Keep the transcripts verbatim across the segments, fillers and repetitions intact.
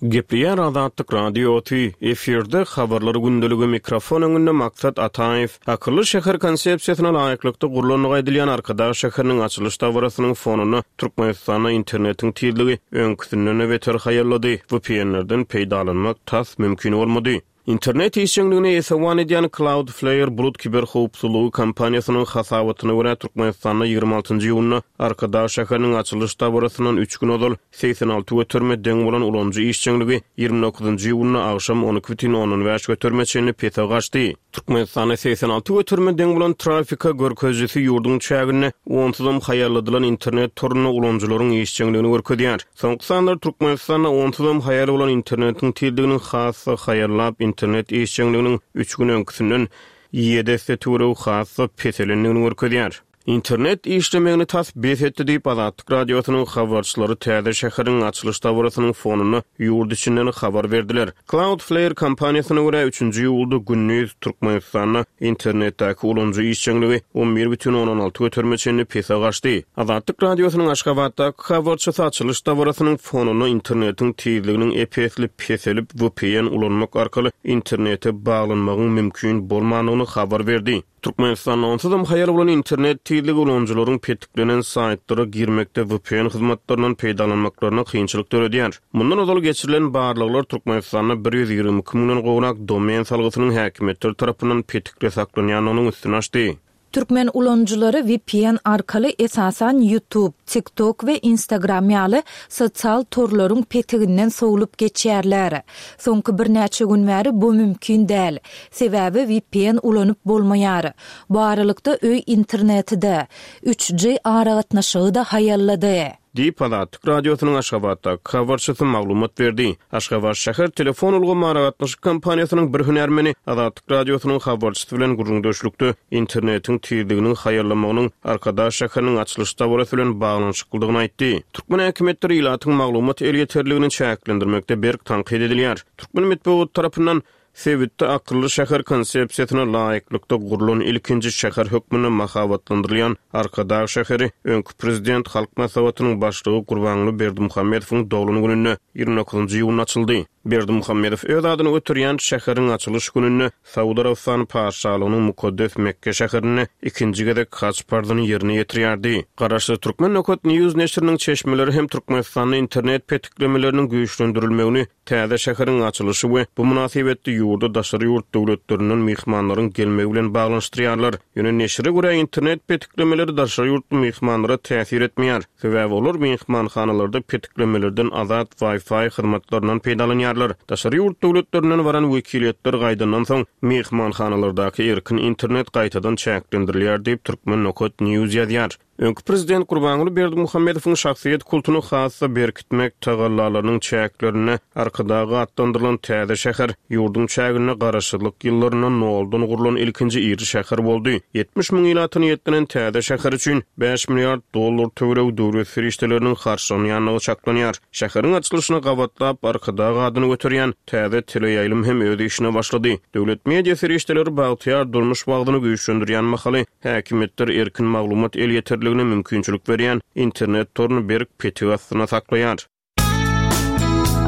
Gepleýär Azatlyk Radiosy, efirde habarlar gündeligi mikrofon öňünde Maksat Ataýew. Akylly şäher konsepsiýasyna laýyklykda gurlandygy aýdylýan Arkadag şäheriniň açylyş dabarasynyň fonunda Türkmenistanda internetiň tizligi öňküsinden beter haýallady. V P N-lerden peýdalanmak tas mümkin bolmady. Internet işjeňligine esewan edýän Cloudflare bulut kiberhowpsuzlygy kompaniýasynyň hasabatyna görä Türkmenistanda ýigrimi altynjy iýunda Arkadag şäheriniň açylyş dabarasyndan üç gün ozal segsen alty göterime deň bolan ulanyjy işjeňligi ýigrimi dokuzynjy iýunda agşam on iki bütin ondan bäş göterime çenli pese gaçdy. Türkmenistanda segsen alty göterime deň bolan trafika görkezijisi ýurduň çäginde onsuzam haýalladylan internet torunda ulanyjylaryň işjeňligini görkezýär. Soňky sanlar Türkmenistanda onsuzam haýal bolan internetiň tizliginiň has-da haýallap internet işjeňliginiň üç gün öňküsinden ýedi esse töweregi has-da peselendigini görkezýär. Internet işlemegini tas bes etdi diýip Azatlyk Radiosynyň habarçylary täze şäheriň açylyş dabarasynyň fonunda ýurt içinden habar berdiler. Cloudflare kompaniýasyna görä üçünji iýulda gündiz Türkmenistanda internetdäki ulanyjy işjeňligi on bir bütin ondan alty göterime çenli pese gaçdy. Azatlyk Radiosynyň Aşgabatdaky habarçysy açylyş dabarasynyň fonunda internetiň tizliginiň ep-esli peselip V P N ulanmak arkaly internete baglanmagyň mümkin bolmandygyny habar berdi. Türkmenistanda onsuzam haýal bolan internet tizligi ulanyjylaryň petiklenen saýtlara girmekde V P N hyzmatlaryndan peýdalanmaklaryna kynçylyk döredýär. Mundan ozal geçirilen barlaglar Türkmenistanda bir ýüz ýigrimi iki müňden gowrak domen salgysynyň häkimiýetler tarapyndan petikli saklanýandygynyň üstüni açdy. Türkmen ulanyjylary V P N arkaly esasan YouTube, TikTok we Instagram ýaly sosial torlaryň petiginden sowlup geçýärler. Soňky birnäçe gün bäri bu mümkin däl. Sebäbi V P N ulanyp bolmaýar. Bu aralykda öý interneti-de, üç G aragatnaşygy-da haýallady. Diýip Azatlyk Radiosynyň Aşgabatdaky habarçysy maglumat berdi. Aşgabat şäher telefon ulgamy aragatnaşyk kompaniýasynyň bir hünärmeni Azatlyk Radiosynyň habarçysy bilen gürrüňdeşlikde internetiň tizliginiň haýallamagynyň Arkadag şäheriniň açylyş dabarasy bilen baglanyşyklydygyny aýtdy. Türkmen häkimiýetleri ilatyň maglumat elýeterligini çäklendirmekde berk tankyt edilýär. Türkmen metbugat tarapyndan sebitde akylly şäher konsepsiýasyna laýyklykda gurlan ilkinji şäher hökmünde mahabatlandyrylýan Arkadag şäheri öňki prezident Halk Maslahatynyň başlygy Gurbanguly Berdimuhamedowyň doglan gününde ýigrimi dokuzynjy iýunda açyldy. Berdimuhamedow öz adyny göterýän şäheriň açylyş gününde Saud Arabystany Patyşalygynyň mukaddes Mekke şäherinde ikinji gezek haç parzyny ýerine ýetirýärdi. Garaşsyz Türkmen Nokat News neşiriniň çeşmeleri hem Türkmenistanda internet petiklemeleriniň güýçlendirilmegini täze şäheriň açylyşy we bu mynasybetli ýurda daşary ýurt döwletlerinden myhmanlaryň gelmegi bilen baglanyşdyrýarlar. Ýöne neşire görä internet petiklemeleri daşary ýurtly myhmanlara täsir etmeýär. Sebäbi olar myhmanhanalarda petiklemelerden azat Wi-Fi hyzmatlaryndan peýdalanýarlar. Daşary ýurt döwletlerinden baran wekiliýetler gaýdandan soň myhmanhanalardaky erkin internet gaýtadan çäklendirilýär diýip Türkmen Nokat News ýazýar. Öňki prezident Gurbanguly Berdimuhamedowyň şahsyýet kultuny has-da berkitmek tagallalarynyň çäklerinde Arkadag atlandyrylan täze şäher ýurduň çäginde garaşsyzlyk ýyllarynda noldan gurlan ilkinji iri şäher boldy. Ýetmiş müň ilata niýetlenen täze şäher üçin bäş milliard dollar töweregi döwlet serişdeleriniň harçlanýandygy çaklanýar. Şäheriň açylyşyna gabatlap Arkadag adyny göterýän täze teleýaýlym hem öz işine başlady. Döwlet media serişdeleri bagtyýar durmuş wagtyny güýçlendirýän mahaly häkimiýetler erkin maglumat elýeterligine mümkinçilik berýän internet toruny berk petik astyna saklaýar.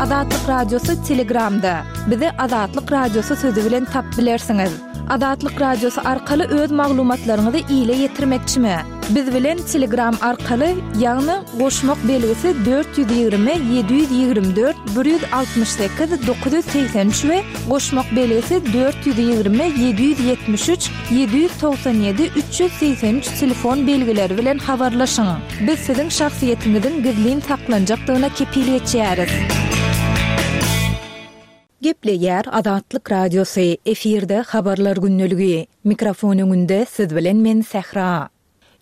Azatlyk Radiosy Telegramda. Bizi Azatlyk Radiosy sözi bilen tap bilersiňiz. Azatlyk Radiosy arkaly öz maglumatlaryňyzy ile ýetirmekçimi? Biz bilen Telegram arkaly, ýagny goşmak belgisi dört ýüz ýigrimi, ýedi ýüz ýigrimi dört, bir ýüz altmyş sekiz, dokuz ýüz segsen üç we goşmak belgisi dört ýüz ýigrimi, ýedi ýüz ýetmiş üç, ýedi ýüz togsan ýedi, üç ýüz segsen üç telefon belgileri bilen habarlaşyň. Biz siziň şahsyýetiňiziň gizlin saklanjakdygyna kepil geçýäris. Gepleýär Azatlyk Radiosy, efirde habarlar gündeligi. Mikrofon öňünde siz bilen men Sähra.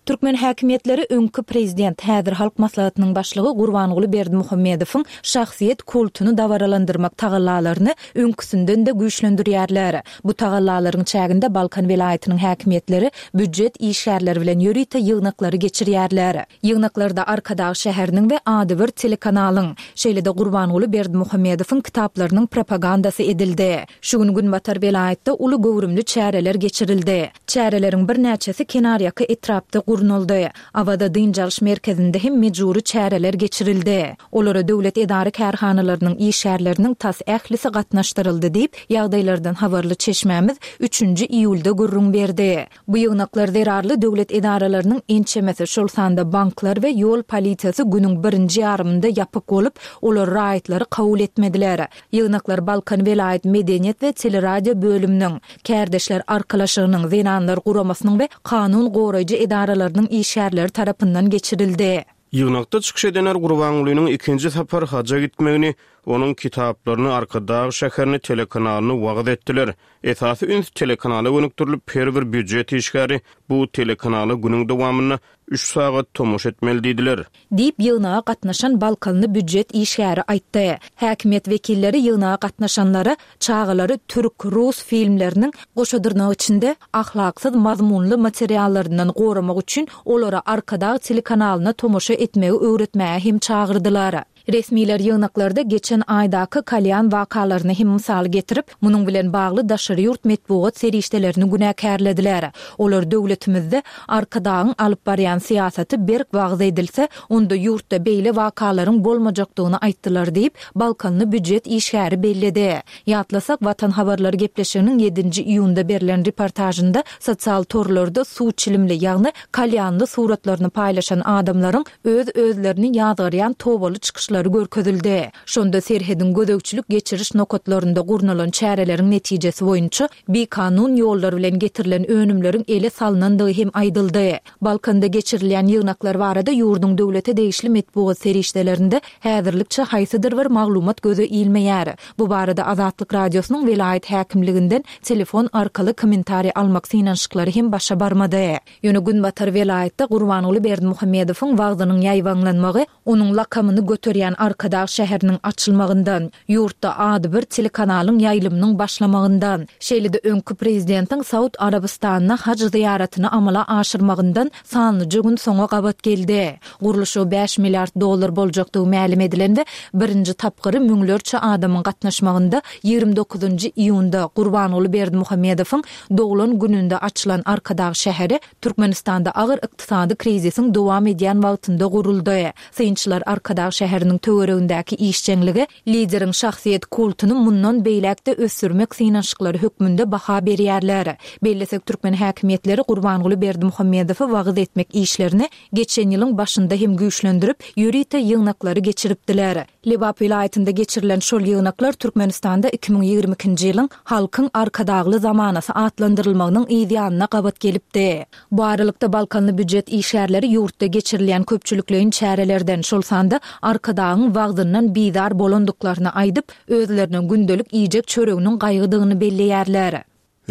Türkmen häkimiýetleri öňki prezident, häzir Halk Maslahatynyň başlygy Gurbanguly Berdimuhamedowyň şahsyýet kultuny dabaralandyrmak tagallalaryny öňküsinden-de güýçlendirýärler. Bu tagallalaryň çäginde Balkan welaýatynyň häkimiýetleri býujet işgärleri bilen ýörite ýygnaklary geçirýärler. Ýygnaklarda Arkadag şäheriniň we adybir telekanalyň, şeýle-de Gurbanguly Berdimuhamedowyň kitaplarynyň propagandasy edildi. Şu gün Günbatar welaýatda uly göwrümli çäreler geçirildi. Çäreleriň birnäçesi kenarýaka etrapda gurnaldy. Awaza dynç alyş merkezinde hem mejbury çäreler geçirildi. Olara döwlet edara-kärhanalarynyň işgärleriniň tas ählisi gatnaşdyryldy diýip, ýagdaýlardan habarly çeşmämiz üçünji iýulda gürrüň berdi. Bu ýygnaklar zerarly döwlet edaralarynyň ençemesi, şol sanda banklar we ýol polisiýasy günüň birinji ýarymynda ýapyk bolup, olar raýatlary kabul etmediler. Ýygnaklar Balkan welaýat medeniýet we teleradio bölüminiň, Kärdeşler arkalaşygynyň, Zenanlar guramasynyň we kanun goraýjy edaralarynyň işgärleri tarapyndan geçirildi. Ýygnakda çykyş edenler Gurbangulynyň ikinji sapar haja gitmegini, onuň kitaplaryny, Arkadag şäherini, telekanalyny wagyz etdiler. Esasy üns telekanala gönükdirilip, her bir býujet işgäri bu telekanala günüň dowamynda üç sagat tomaşa etmeli diýdiler. Diýip, ýygnaga gatnaşan balkanly býujet işgäri aýtdy. Häkimiýet wekilleri ýygnaga gatnaşanlara çagalary türk, rus filmleriniň, goşa dyrnak içinde, ahlaksyz mazmunly materiallaryndan goramak üçin olara Arkadag telekanalyna tomaşa etmegi öwretmäge hem çagyrdylar. Resmiler ýygnaklarda geçen aýdaky Kalýan wakalaryny hem mysal getirip, munuň bilen bagly daşary ýurt metbugat serişdelerini günäkärlediler. Olar döwletimizde Arkadagyň alyp barýan syýasaty berk wagyz edilse, onda ýurtda beýle wakalaryň bolmajakdygyny aýtdylar diýip, balkanly býujet işgäri belledi. Ýatlasak, Watan habarlary gepleşiginiň ýedinji iýunda berlen reportažynda sosial torlarda suw çilimli, ýagny kalýanly suratlaryny paýlaşan adamlaryň öz-özlerini ýazgarýan tobaly çykyşlary görkezildi. Şonda serhediň gözegçilik-geçiriş nokatlarynda gurnalan çäreleriň netijesi boýunça bikanun ýollar bilen getirilen önümleriň ele salnandygy hem aýdyldy. Balkanda geçirilýän ýygnaklar barada ýurduň döwlete degişli metbugat serişdelerinde häzirlikçe haýsydyr bir maglumat göze ilmeýär. Bu barada Azatlyk Radiosynyň welaýat häkimliginden telefon arkaly kommentariý almak synanyşyklary hem başa barmady. Ýöne günbatar welaýatda Gurbanguly Berdimuhamedowyň wagzynyň ýaýbaňlanmagy onuň lakamyny göterýän Arkadag şäheriniň açylmagyndan, ýurtda adybir telekanalyň ýaýlymynyň başlamagyndan, şeýle-de öňki prezidentiň Saud Arabystanyna haj zyýaratyny amala aşyrmagyndan sanlyja gün soňa gabat geldi. Gurluşygy bäş milliard dollar boljakdygy mälim edilen we birinji tapgyry müňlerçe adamyň gatnaşmagynda ýigrimi dokuzynjy iýunda Gurbanguly Berdimuhamedowyň doglan gününde açylan Arkadag şäheri Türkmenistanda agyr ykdysady krizisiň dowam edýän wagtynda guruldy. Synçylar Arkadag şäheriniň töweregindäki işjeňlige lideriň şahsyýet kultuny mundan beýläk-de ösdürmek synanyşyklary hökmünde baha berýärler. Bellesek, türkmen häkimiýetleri Gurbanguly Berdimuhamedowy wagyz etmek işlerini geçen ýylyň başynda hem güýçlendirip, ýörite ýygnaklary geçiripdiler. Lebap welaýatynda geçirilen şol ýygnaklar Türkmenistanda iki müň ýigrimi ikinji ýylyň Halkyň Arkadagly zamanasy atlandyrylmagynyň yz ýanyna gabat gelipdi. Bu aralykda, balkanly býujet işgärleri ýurtda geçirilýän köpçülikleýin çärelerden, şol sanda Arkadagyň wagzyndan bizar bolandyklaryny aýdyp, özlerine gündelik iýjek çöreginiň gaýgydygyny belleýärler.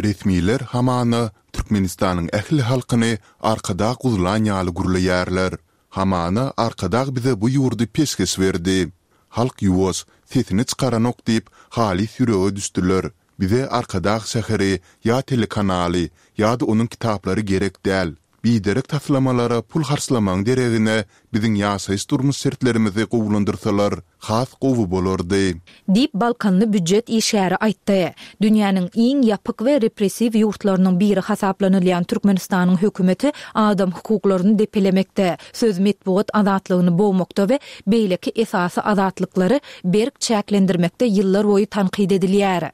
Resmiler hamana Türkmenistanyň ähli halkyny Arkadag guzlan ýaly gürleýärler. Hamana Arkadag bize bu ýurdy peşgeş berdi. Halk ýuwaş, sesini çykaranok diýip, halys ýürege düşdüler. Bize Arkadag şäheri ýa telekanaly ýa-da onuň kitaplary gerek däl. Biderek taslamalara pul harçlamagyň deregine biziň ýaşaýyş-durmuş şertlerimizi gowulandyrsalar has gowy bolardy. Diýip, balkanly býujet işgäri aýtdy. Dünýäniň iň ýapyk we repressiw ýurtlarynyň biri hasaplanylýan Türkmenistanyň hökümeti adam hukuklaryny depelemekde, söz-metbugat azatlygyny bogmakda we beýleki esasy azatlyklary berk çäklendirmekde ýyllarboýy tankyt edilýär.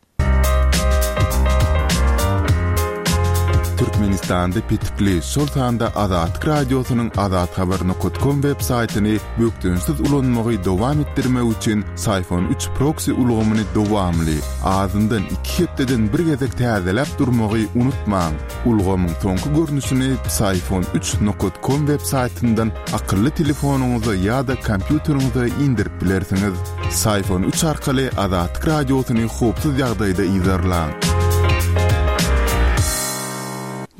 Türkmenistanda petikli, şol sanda Azatlyk Radiosynyň azathabar nokat kom web saýtyny bökdençsiz ulanmagy dowam etdirmek üçin Syfon üç proksi ulgamyny dowamly, azyndan iki hepdeden bir gezek täzeläp durmagy unutmaň. Ulgamyň soňky görnüşini Psiphon üç nokat kom web saýtyndan akylly telefonyňyza ýa-da kompýuteriňize indirip bilersiňiz. Psiphon üç arkaly Azatlyk Radiosyny howpsuz ýagdaýda yzarlaň.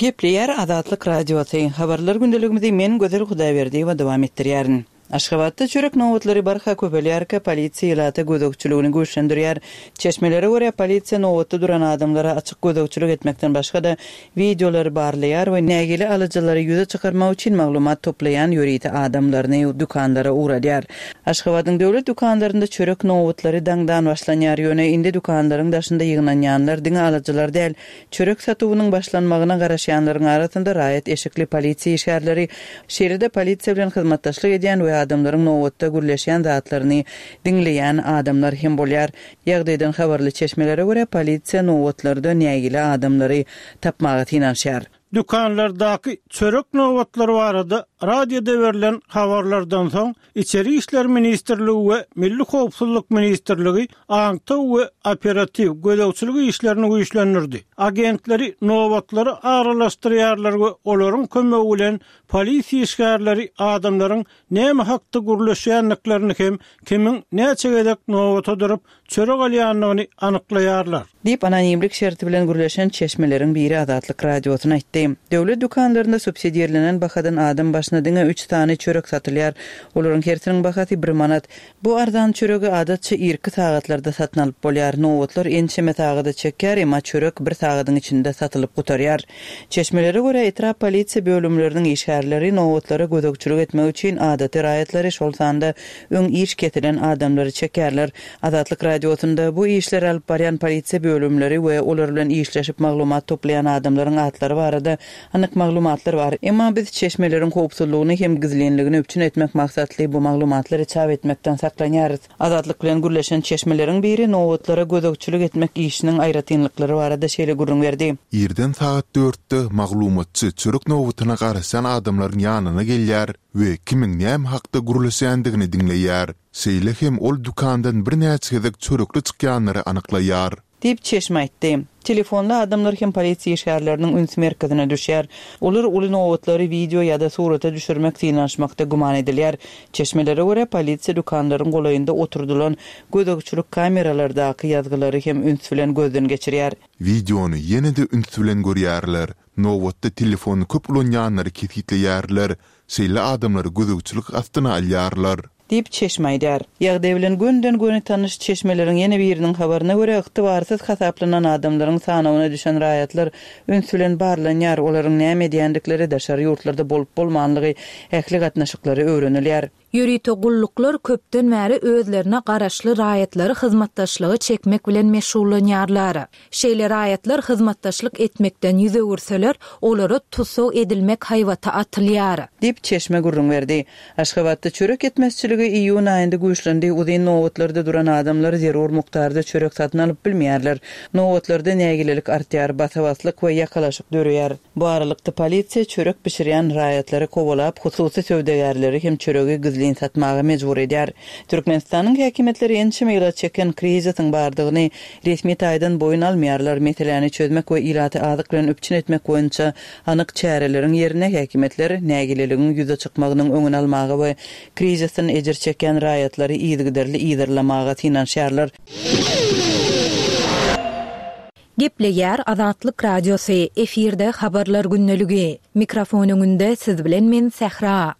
Gepleýär Azatlyk Radiosy. Habarlar gündeligimizi men Gözel Hudaýberdiýewa dowam etdirýärin. Aşgabatda çörek nobatlary barha köpelýärkä, polisiýa ilata gözegçiligini güýçlendirýär. Çeşmelere görä, polisiýa nobatda duran adamlara açyk gözegçilik etmekden başga-da, wideolary barlaýar we nägile alyjylary ýüze çykarmak üçin maglumat toplaýan ýörite adamlaryny dükanlara ugradýar. Aşgabadyň döwlet dükanlarynda çörek nobatlary daňdan başlanýar, ýöne indi dükanlaryň daşynda ýygnanýanlar diňe alyjylar däl, çörek satuwynyň başlanmagyna garaşýanlaryň arasynda raýat eşikli polisiýa işgärleri, şeýle-de polisiýa bilen hyzmatdaşlyk edýän we adamlaryň nobatda gürleşýän zatlaryny diňleýän adamlar hem bolýar. Ýagdaýdan habarly çeşmelere görä, polisiýa nobatlarda nägile adamlary tapmaga synanyşýar. Dükanlardaky çörek nobatlary barada radioda berlen habarlardan soň, Içeri işler ministrligi we Milli howpsuzlyk ministrligi aňtaw we operatiw gözegçilik işlerini güýçlendirdi. Agentleri nobatlara aralaşdyrýarlar we olaryň kömegi bilen polisiýa işgärleri adamlaryň näme hakda gürleşýändiklerini hem kimiň näçe gezek nobata durup, çörek alýandygyny anyklaýarlar. Diýip, anonimlik şerti bilen gürleşen çeşmeleriň biri Azatlyk Radiosyna aýtdy. Döwlet dükanlarynda subsidirlenen bahadan adam başyna diňe üç sany çörek satylýar. Olaryň hersiniň bahasy bir manat. Bu arzan çöregi adatça irki sagatlarda satyn alyp bolýar. Nobatlar ençeme sagada çekýär, emma çörek bir sagadyň içinde satylyp gutarýar. Çeşmelere görä, etrap polisiýa bölümleriniň işgärleri nobatlara gözegçilik etmek üçin adaty raýatlary, şol sanda öň iş kesilen adamlary çekýärler. Azatlyk Radiosynda bu işleri alyp barýan polisiýa bölümleri we olar bilen işleşip maglumat toplaýan adamlaryň atlary barada anyk maglumatlar bar. Emma biz çeşmeleriň howpsuzlygyny hem gizlinligini üpjün etmek maksatly bu maglumatlary çap etmekden saklanýarys. Azatlyk bilen gürleşen çeşmeleriň biri nobatlara gözegçilik etmek işiniň aýratynlyklary barada şeýle gürrüň berdi. Irden sagat dörtde maglumatçy çörek nobatyna garaşýan adamlaryň ýanyna gelýär we kimiň näme hakda gürleşýändigini diňleýär. Şeýle hem ol dükandan birnäçe gezek çörekli çykýanlary anyklaýar. Diýip, çeşme aýtdy. Telefonly adamlar hem polisiýa işgärleriniň üns merkezine düşýär. Olar uly nobatlary wideo ýa-da surata düşürmek synanyşmakda güman edilýär. Çeşmelere görä, polisiýa dükanlaryň golaýynda oturdylan gözegçilik kameralardaky ýazgylary hem üns bilen gözden geçirýär. Wideony ýene-de üns bilen görýärler. Nobatda telefony köp ulanýanlary kesgitleýärler, şeýle adamlary gözegçilik astyna alýarlar. Diýip, çeşme aýdýar. Ýagdaý bilen gönden-göni tanyş çeşmeleriň ýene biriniň habaryna görä, ygtybarsyz hasaplanan adamlaryň sanawyna düşen raýatlar üns bilen barlanýar, olaryň näme edýändikleri, daşary ýurtlarda bolup-bolmanlygy, ähli gatnaşyklary öwrenilýär. Ýörite gulluklar köpden bäri özlerine garaşly raýatlary hyzmatdaşlyga çekmek bilen meşgullanýarlar. Şeýle raýatlar hyzmatdaşlyk etmekden ýüz öwürseler, olara tussag edilmek haýbaty atylýar. Diýip, çeşme gürrüň berdi. Aşgabatda çörek ýetmezçiligi iýun aýynda güýçlendi, uzyn nobatlarda duran adamlar zerur mukdarda çörek satyn alyp bilmeýärler. Nobatlarda nägilelik artýar, basa-baslyk we ýakalaşyk döreýär. Bu aralykda, polisiýa çörek bişirýän raýatlary kowalap, hususy söwdagärleri hem çöregi gizlin satmaga mejbur edýär. Türkmenistanyň häkimiýetleri ençeme ýyla çeken krizisiň bardygyny resmi taýdan boýun almaýarlar. Meseläni çözmek we ilaty azyk bilen üpjün etmek boýunça anyk çäreleriň ýerine häkimiýetler nägileligiň ýüze çykmagynyň öňüni almaga we krizisden ejir çekýän raýatlary yzygiderli yzarlamaga synanyşýarlar. Gepleýär Azatlyk Radiosy, efirde Habarlar gündeligi. Mikrofon öňünde siz bilen men Sähra.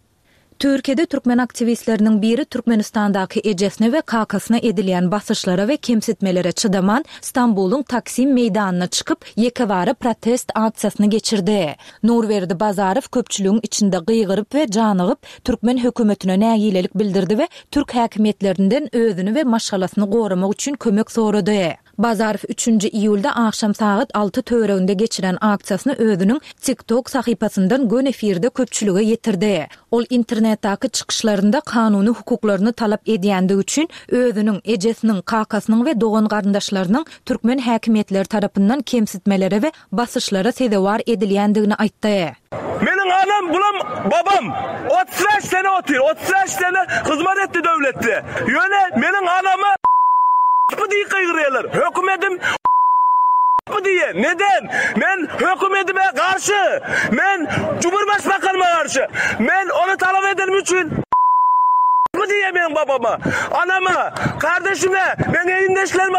Türkiýede türkmen aktiwistleriniň biri Türkmenistandaky ejesine we kakasyna edilýän basyşlara we kemsitmelere çydaman, Stambulyň Taksim meýdanyna çykyp, ýekebara protest aksiýasyny geçirdi. Nurberdi Bazarow köpçüligiň içinde gygyryp we janygyp, türkmen hökümetine nägilelik bildirdi we türk häkimiýetlerinden özüni we maşgalasyny goramak üçin kömek sorady. Bazarow üçünji iýulda agşam sagat alty töwereginde geçiren aksiýasyny özüniň TikTok sahypasyndan göni efirde köpçülige ýetirdi. Ol internetdäki çykyşlarynda kanuny hukuklaryny talap edýändigi üçin özüniň, ejesiniň, kakasynyň we dogan-garyndaşlarynyň türkmen häkimiýetleri tarapyndan kemsitmelere we basyşlara sezewar edilýändigini aýtdy. Meniň anam bulam babam otuz bäş sene otyr, otuz bäş sene hyzmat etdi döwletde. Ýöne meniň anama bu diýip gygyrýarlar. Hökümedim bu diýýär. Neden? Men hökümedime garşy. Men Cumhurbaşbakanyma garşy. Men ony talap edenim üçin bu diýýär meniň babama, anama, kardeşime, meniň egindeşlerime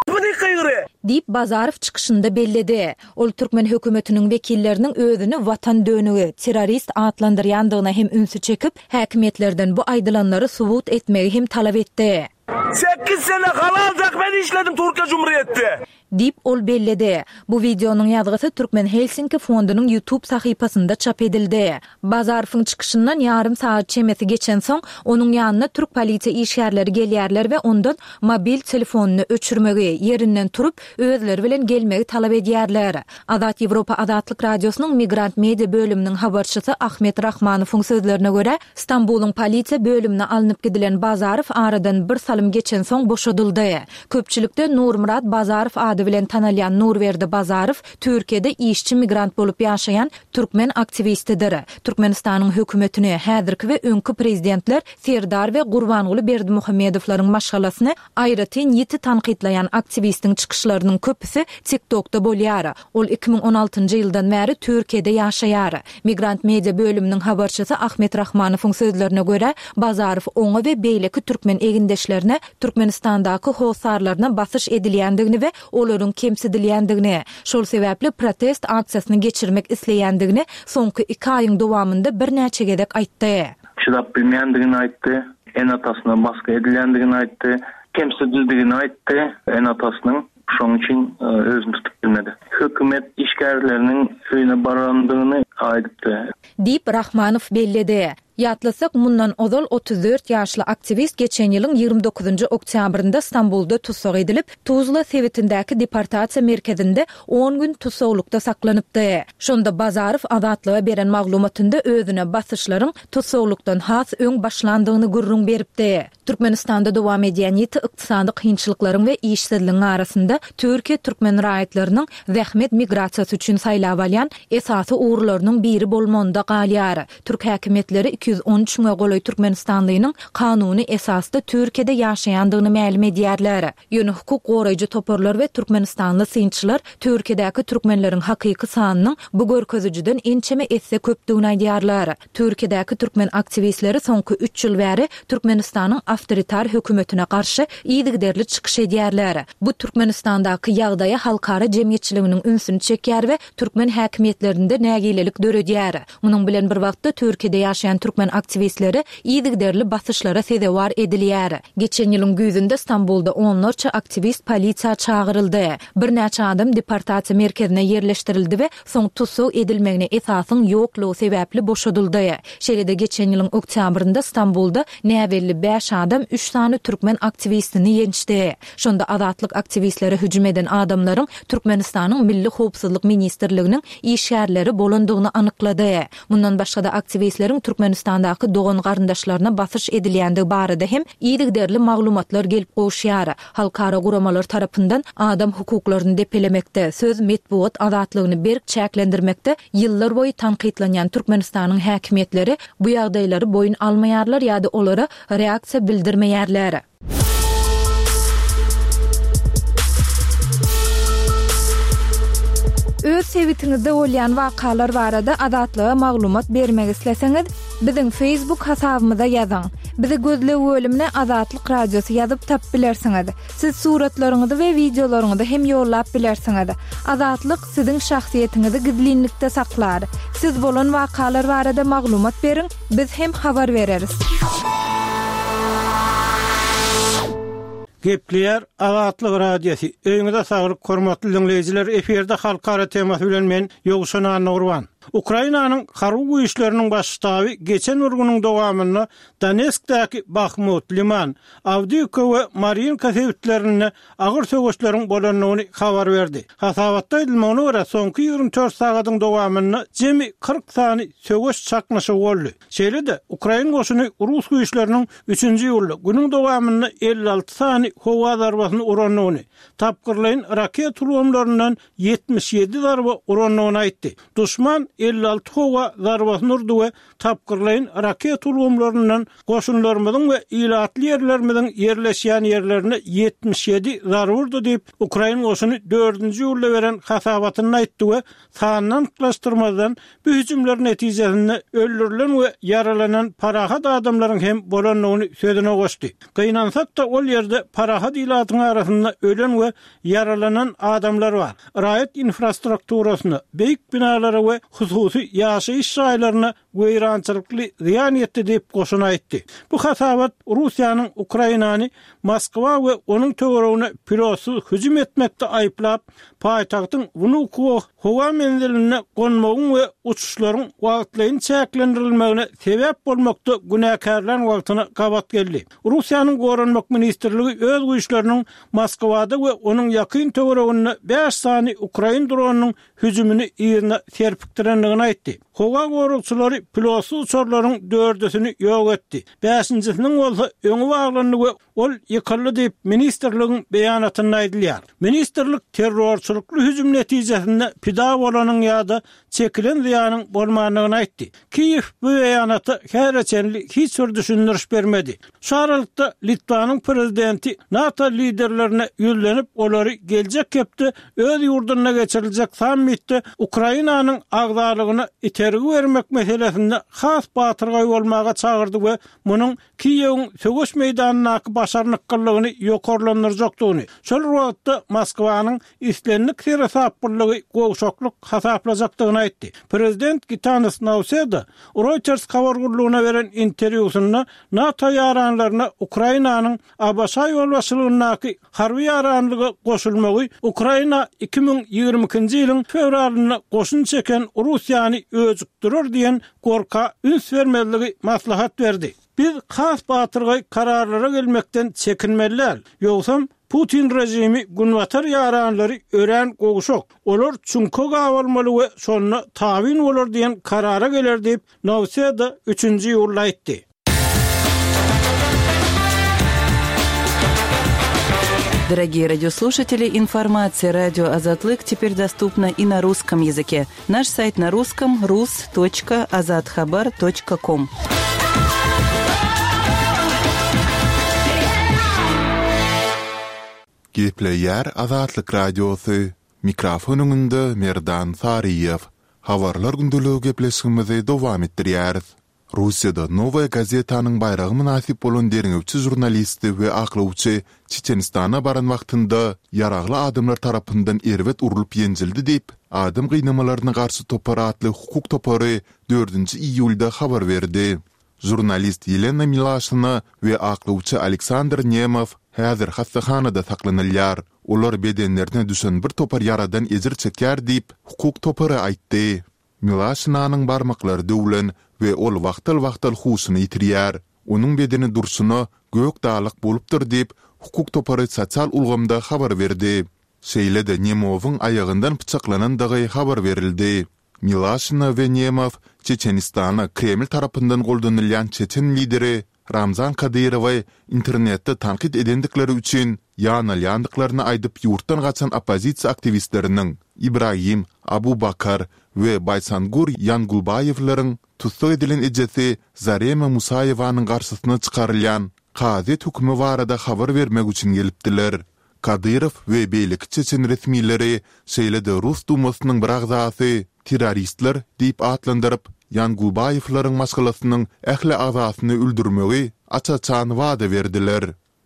bu diýip gygyrýar. Diýip, Bazarow çykyşynda belledi. Ol türkmen hökümetiniň wekilleriniň özüni watan dönügi, terrorist atlandyrýandygyna hem ünsi çekip, häkimiýetlerden bu aýdylanlary subut etmegi hem talap etdi. Sekiz sene halal zähmet işledim Türkiýe Jumhuriýetde. Diýip, ol belledi. Bu wideonyň ýazgysy Türkmen Helsinki fondunyň YouTube sahypasynda çap edildi. Bazarowyň çykyşyndan ýarym sagat çemesi geçensoň, onuň ýanyna türk polisiýa işgärleri gelýärler we ondan mobil telefonyny öçürmegi, ýerinden turup, özleri bilen gelmegi talap edýärler. Azat Ýewropa Azatlyk Radiosynyň Migrant Media bölüminiň habarçysy Ahmet Rahmanowyň sözlerine görä, Stambulyň polisiýa bölümine alnyp gidilen Bazarow aradan bir salym geçensoň boşadyldy. Köpçülikde Nurmyrat Bazarow ady bilen tanalýan Nurberdi Bazarow Türkiýede işçi migrant bolup ýaşaýan türkmen aktiwistidir. Türkmenistanyň hökümetini, häzirki we öňki prezidentler Serdar we Gurbanguly Berdimuhamedowlaryň maşgalasyny aýratyn ýiti tankytlaýan aktiwistiň çykyşlarynyň köpüsi TikTokda bolýar. Ol iki müň on altynjy ýyldan bäri Türkiýede ýaşaýar. Migrant Media bölüminiň habarçysy Ahmet Rahmanowyň sözlerine görä, Bazarow oňa we beýleki türkmen egindeşlerine Türkmenistandaky hossarlaryna basyş edilýändigini we olaryň kemsidilýändigini, şol sebäpli protest aksiýasyny geçirmek isleýändigini soňky iki aýyň dowamynda birnäçe gezek aýtdy. Çydap bilmeýändigini aýtdy, ene-atasyna baskı edilýändigini aýtdy, kemsidildigini aýtdy, ene-atasynyň şonuň üçin, e, özüni tutup bilmedi. Hökümet işgärleriniň öýüne barandygyny aýdypdy. Diýip Rahmanow belledi. Ýatlasak, mundan ozal otuz dört ýaşly aktiwist geçen ýylyň ýigrimi dokuzynjy oktýabrynda Stambulda tussag edilip, Tuzla sebitindäki deportasiýa merkezinde on gün tussaglykda saklanypdy. Şonda Bazarow Azatlyga beren maglumatynda özüne basyşlaryň tussaglykdan has öň başlandygyny gürrüň beripdi. Türkmenistanda dowam edýän ýiti ykdysady kynçylyklaryň we işsizligiň arasynda Türkiýe türkmen raýatlarynyň zähmet migrasiýasy üçin saýlap alýan esasy ugurlarynyň biri bolmagynda galýar. Türk häkimiýetleri iki ýüz on üç müňe golaý türkmenistanlynyň kanuny esasda Türkiýede ýaşaýandygyny mälim edýärler. Ýöne hukuk goraýjy toparlar we türkmenistanly synçylar Türkiýedäki türkmenleriň hakyky sanynyň bu görkezijiden ençeme esse köpdügini aýdýarlar. Türkiýedäki türkmen aktiwistleri soňky üç ýyl bäri Türkmenistanyň awtoritar hökümetine garşy yzygiderli çykyş edýärler. Bu Türkmenistandaky ýagdaýa halkara jemgyýetçiliginiň ünsüni çekýär we türkmen häkimiýetlerinde nägilelik döredýär. Munuň bilen bir wagtda Türkiýede ýaşaýan türkmen aktiwistleri yzygiderli basyşlara sezewar edilýär. Geçen ýylyň güýzünde Stambulda onlarça aktiwist polisiýa çagyryldy. Birnäçe adam deportasiýa merkezine ýerleşdirildi we soň tussag edilmegine esasyň ýoklugy sebäpli boşadyldy. Şeýle-de geçen ýylyň oktýabrynda Stambulda näbelli bäş adam üç sany türkmen aktiwistini ýençdi. Şonda azatlyk aktiwistlere hüjüm eden adamlaryň Türkmenistanyň Milli Howpsuzlyk Ministrliginiň işgärleri bolandygyny anyklady. Mundan başga-da aktiwistleriň Türkmenistandaky dogan garyndaşlaryna basyş edilýändigi barada hem yzygiderli maglumatlar gelip gowuşýar. Halkara guramalar tarapyndan adam hukuklaryny depelemekde, söz metbugat azatlygyny berk çäklendirmekde ýyllar boýy tankytlanýan Türkmenistanyň häkimiýetleri bu ýagdaýlary boýun almaýarlar ýa-da olara reaksiýa bildirmeýärler. Öz sebitiňizde bolýan wakalar barada Azatlyga maglumat bermek isleseňiz, biziň Facebook hasabymyza ýazyň. Bizi gözleg bölümine Azatlyk Radiosy ýazyp tap bilersiňiz. Siz suratlaryňyzy we wideolaryňyzy hem ýollap bilersiňiz. Azatlyk siziň şahsyýetiňizi gizlinlikde saklar. Siz bolan wakalar barada maglumat beriň, biz hem habar bereris. Gepleýär Azatlyk Radiosy. Öýüňize saglyk, hormatly dinleýjiler. Efirde halkara temasy bilen men Ýowşan Annagurban. Ukrainanyň harby güýçleriniň baş ştaby geçen bir günüň dowamynda Donetskdäki Bahmut, Liman, Awdiýewka we Marinka sebitlerinde agyr söweşleriň bolandygyny habar berdi. Hasabatda aýdylmagyna görä, soňky ýigrimi dört sagadyň dowamynda jemi kyrk sany söweş çaknyşygy boldy. Şeýle-de, Ukrain goşuny rus güýçleriniň üçünji iýulda günüň dowamynda elli alty sany howa zarbasyny urandygyny, tapgyrlaýyn raket ulgamlaryndan ýetmiş ýedi zarba urandygyny aýtdy. Duşman elli alty howa zarbasyny urdy we tapgyrlaýyn raketa ulgamlaryndan goşunlarymyzyň we ilatly ýerlerimiziň ýerleşýän ýerlerine ýetmiş ýedi zarba urdy diýip, ukrain goşuny dördünji iýulda beren hasabatynda aýtdy we sanyny anyklaşdyrmazdan, bu hüjümler netijesinde öldürilen we ýaralanan parahat adamlaryň hem bolandygyny sözüne goşdy. Gynansak-da, ol ýerde parahat ilatyň arasynda ölen we ýaralanan adamlar bar. Raýat infrastrukturasyna, beýik binalara we hususy ýaşaýyş jaýlaryna weýrançylykly zyýan ýetdi diýip, goşun aýtdy. Bu hasabat Russiýanyň Ukrainany Moskwa we onuň töweregine pilotsyz hüjüm etmekde aýyplap, paýtagtyň Wnukowo howa menzilinde gonmagyň we uçuşlaryň wagtlaýyn çäklendirilmegine sebäp bolmakda günäkärlän wagtyna gabat geldi. Russiýanyň Goranmak ministrligi öz güýçleriniň Moskwada we onuň ýakyn töwereginde bäş sany ukrain dronynyň hüjümini yzyna serpikdirendigini aýtdy. Howa goragçylary pilotsyz uçarlaryň dördüsini ýok etdi, bäşinjisiniň bolsa öňi baglandy we ol ýykyldy diýip, ministrligiň beýanatynda aýdylýar. Ministrlik terrorçylykly hüjüm netijesinde pida bolanyň ýa-da çekilen zyýanyň bolmandygyny aýtdy. Kiýew bu beýanata häzire çenli hiç bir düşündiriş bermedi. Şu aralykda, Litwanyň prezidenti NATO liderlerine ýüzlenip, olary geljek hepde öz ýurdunda geçiriljek sammitde Ukrainanyň agzalygyna itergi bermek meselesinde has batyrgaý bolmaga çagyrdy we munuň Kiýewiň söweş meýdanyndaky başarnyklylygyny ýokarlandyrjakdygyny, şol bir wagtda Moskwanyň islendik seresaplylygy gowşaklyk hasaplajakdygyny aýtdy. Prezident Gitanas Nauseda Reuters habar gullugyna beren interwýusynda NATO ýaranlaryna Ukrainanyň ABŞ ýolbaşçylygyndaky harby ýaranlyga goşulmagy Ukraina iki müň ýigrimi ikinji ýylyň fewralynda goşun çeken Russiýany öjükdirer diýen gorka üns bermezligi maslahat berdi. Biz has batyrgaý kararlara gelmekden çekinmeli däl. Ýogsam, Putin režimi Günbatar ýaranlary örän gowşak, olar çüňke gabalmaly we şonda tabyn bolar diýen karara geler diýip, Nauseda üçünji iýulda aýtdy. Дорогие радиослушатели, информация радио Азатлык теперь доступна и на русском языке. Наш сайт на русском rus точка azathabar точка ком. Gepleýär Azatlyk Radiosy. Mikrofon öňünde Merdan Saryýew. Habarlar gündeligi gepleşigimizi dowam etdirýäris. Russiýada Nowaýa gazetanyň baýraga mynasyp bolan derňewçi žurnalisti we aklawçy Çeçenistana baran wagtynda ýaragly adamlar tarapyndan erbet urlup ýenjildi diýip, Adam gynamalaryna garşy topar atly hukuk topary dördünji iýulda habar berdi. Žurnalist Ýelena Milaşina we aklawçy Aleksandr Nemow häzir hassahanada saklanylýar. Olar bedenlerine düşen bir topar ýaradan ejir çekýär diýip, hukuk topary aýtdy. Milaşinanyň barmaklary döwlen we ol wagtal-wagtal huşuny ýitirýär. Onuň bedeni durşuna gök dalak bolupdyr diýip, hukuk topary sosial ulgamda habar berdi. Şeýle-de Nemowyň aýagyndan pyçaklanandygy habar berildi. Milaşina we Nemow Çeçenistana Kreml tarapyndan goldanylýan çeçen lideri Ramzan Kadyrowy internetde tankyt edendikleri üçin ýanalýandyklaryny aýdyp ýurtdan gaçan oppozisiýa aktiwistleriniň Ibragim Abubakar we Baýsangur Ýangulbaýewleriň tussag edilen ejesi Zarema Musaýewanyň garşysyna çykarylýan kazyýet hökümi barada habar bermek üçin gelipdiler. Kadyrow we beýleki çeçen resmileri, şeýle-de Rus Dumasynyň bir agzasy terroristler diýip atlandyryp, Ýangulbaýewleriň maşgalasynyň ähli agzasyny öldürmegi aç-açan wada berdiler.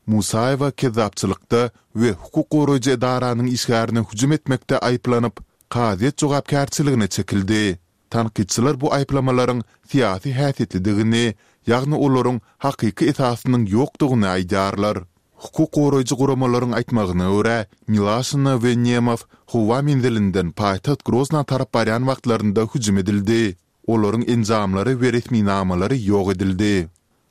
Musaýewa kezzapçylykda we hukuk goraýjy edaranyň işgärine hüjüm etmekde aýyplanyp, kazyýet jogapkärçiligine çekildi. Tankytçylar bu aýyplamalaryň syýasy häsiýetlidigini, ýagny olaryň hakyky esasynyň ýokdugyny aýdýarlar. Hukuk goraýjy guramalaryň aýtmagyna görä, Milaşina we Nemow howa menzilinden paýtagt Grozna tarap barýan wagtlarynda hüjüm edildi. Olaryň enjamlary we resminamalary ýok edildi.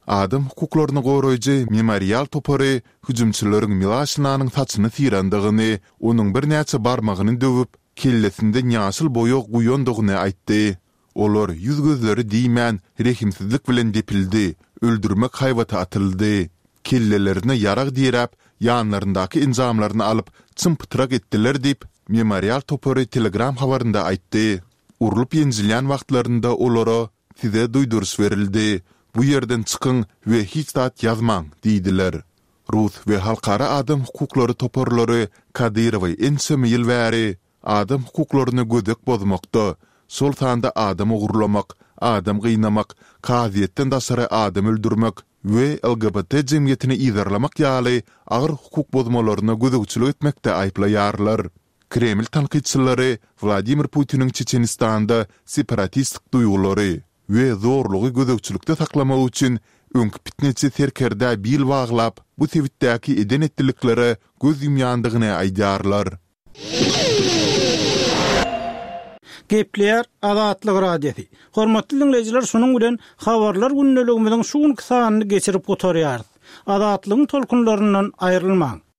Adam hukuklaryny goraýjy Memorial topary hüjümçileriň Milaşinanyň saçyny syrandygyny, onuň birnäçe barmagyny döwüp, kellesinden ýaşyl boýag guýandygyny aýtdy. Olar ýüz-gözleri diýmän, rehimsizlik bilen depildi, öldürmek haýbaty atyldy. Kellelerine ýarag diräp, ýanlaryndaky enjamlaryny alyp, çym-pytrak etdiler diýip, Memorial topary Telegram habarynda aýtdy. Urlup-ýenjilýän wagtlarynda olara, Size duýduryş berildi. Bu ýerden çykyň we hiç zat ýazmaň diýdiler. Rus we halkara adam hukuklary toparlary Kadyrowy ençeme ýyl bäri adam hukuklaryny gödek bozmakda, şol sanda adam ogurlamak, adam gynamak, kazyýetden daşary adam öldürmek we LGBT jemgyýetini yzarlamak ýaly agyr hukuk bozmalaryna gözegçilik etmekde aýyplaýarlar. Kreml tankytçylary Wladimir Putiniň Çeçenistanda separatistik duýgulary we zorlugy gözegçilikde saklamak üçin öňki pitneçi serkerdä bil baglap, bu sebitdäki eden-etdiliklere göz ýumýandygyny aýdýarlar. Gepleýär Azatlyk Radiosy. Hormatly diňleýjiler, şunuň bilen Habarlar gündeligimiziň şu günki sanyny geçirip gutarýarys. Azatlygyň tolkunlaryndan aýrylmaň!